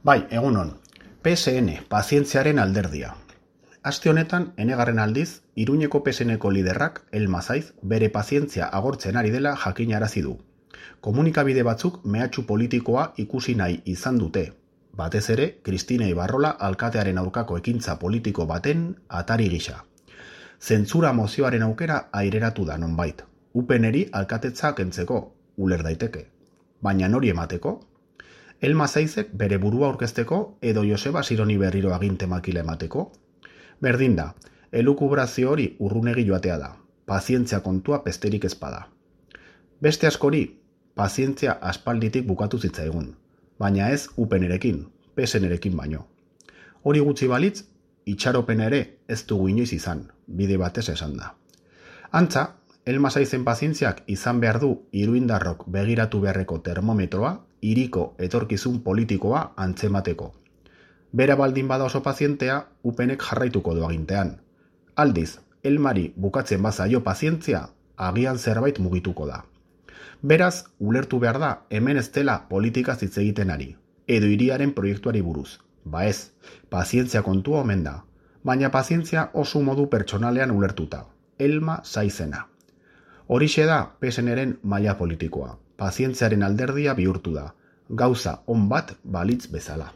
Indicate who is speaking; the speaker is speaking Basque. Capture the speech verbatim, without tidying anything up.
Speaker 1: Bai, egunon. P S N, pazientziaren alderdia. Aste honetan, enegarren aldiz, Iruñeko P S Nko liderrak, Elma Saiz, bere pazientzia agortzen ari dela jakinarazi du. Komunikabide batzuk mehatxu politikoa ikusi nahi izan dute. Batez ere, Kristina Ibarrola alkatearen aurkako ekintza politiko baten atari gisa. Zentzura mozioaren aukera aireratu da nonbait. Upeneri alkatetza kentzeko, uler daiteke. Baina nori emateko? Elma Saizek bere burua aurkezteko edo Joseba Sironi berriro aginte makila emateko? Berdin da, elukubrazio hori urrunegi joatea da. Pazientzia kontua pesterik ezpada. Beste askori, pazientzia aspalditik bukatu zitzaigun. Baina ez upenerekin, pesenerekin baino. Hori gutxi balitz, itxaropena ere ez dugu inoiz izan, bide batez esan da. Antza, Elma Saizen pazientziak izan behar du iruindarrok begiratu beharreko termometroa, hiriko etorkizun politikoa antzemateko. Bera baldin bada oso pazientea, upenek jarraituko du agintean. Aldiz, Elmari bukatzen bazaio pazientzia, agian zerbait mugituko da. Beraz, ulertu behar da hemen ez dela politikaz hitz egiten ari, edo hiriaren proiektuari buruz. Ba ez, pazientzia kontua omen da, baina pazientzia oso modu pertsonalean ulertuta, Elma Saizena. Horixe da P S Nren maila politikoa, pazientziaren alderdia bihurtu da, gauza on bat balitz bezala.